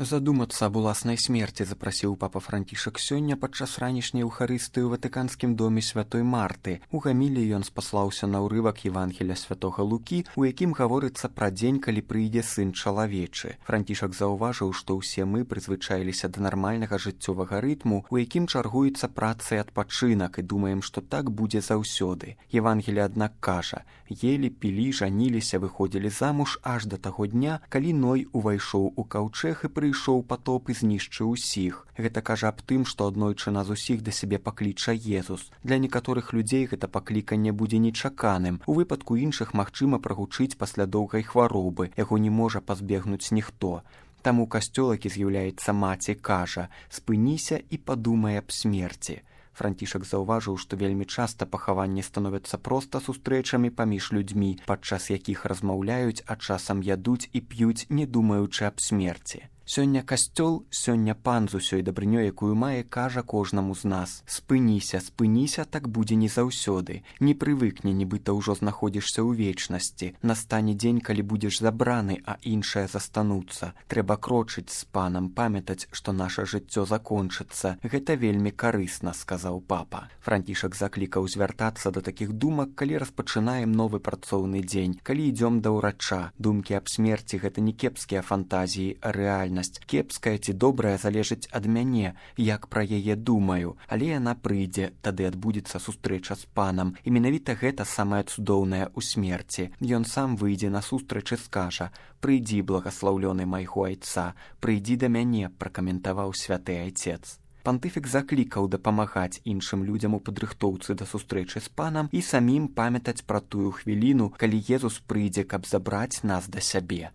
Задумацца аб уласнай смерці запрасіў папа Францішак сёння падчас ранішняй эўхарыстыі ў ватыканскім доме святой Марты. У гамілі ён спаслаўся на ўрывак Евангеля святога Лукі, у якім гаворыцца пра дзень, калі прыйдзе сын чалавечы. Францішак заўважыў, што ўсе мы прызвычаіліся да нармальнага жыццёвага рытму, у якім чаргуецца праца і адпачынак, і думаем, што так будзе заўсёды. Евангеле, аднак, кажа: елі, пілі, жаніліся, выходзілі замуж аж да таго дня, калі Ной увайшоў у каўчэг і прыйшоў патоп і знішчыў усіх. Гэта кажа аб тым, што аднойчы нас усіх да сябе пакліча Езус. Для некаторых людзей гэта пакліканне будзе нечаканым. У выпадку іншых магчыма прагучыць пасля доўгай хваробы, яго не можа пазбегнуць ніхто. Таму касцёл, які з'яўляецца маці, кажа: спыніся і падумай аб смерці. Францішак заўважыў, што вельмі часта пахаванні становяцца проста сустрэчамі паміж людзьмі, падчас якіх размаўляюць, а часам ядуць і п'юць, не думаючы аб смерці. Сёння касцёл, сёння пан з усёй дабрынёй, якую мае, кажа кожнаму з нас: спыніся, спыніся, так будзе не заўсёды. Не прывыкне, нібыта ўжо знаходзішся ў вечнасці. Настане дзень, калі будзеш забраны, а іншыя застануцца. Трэба крочыць з панам, памятаць, што наша жыццё закончыцца. Гэта вельмі карысна, сказаў папа. Францішак заклікаў звяртацца да такіх думак, калі распачынаем новы працоўны дзень, калі ідзём да ўрача. Думкі аб смерці — гэта не кепскія фантазіі, а рэальнасць. Кепская ці добрая залежыць ад мяне, як пра яе думаю, але яна прыйдзе, тады адбудзецца сустрэча з панам, і менавіта гэта самае цудоўнае ў смерці. Ён сам выйдзе насустрач і скажа: прыйдзі, благаслаўлёны майго айца, прыйдзі да мяне, пракаментаваў святы айцец. Пантыфік заклікаў дапамагаць іншым людзям у падрыхтоўцы да сустрэчы з панам і самім памятаць пра тую хвіліну, калі Езус прыйдзе, каб забраць нас да сябе.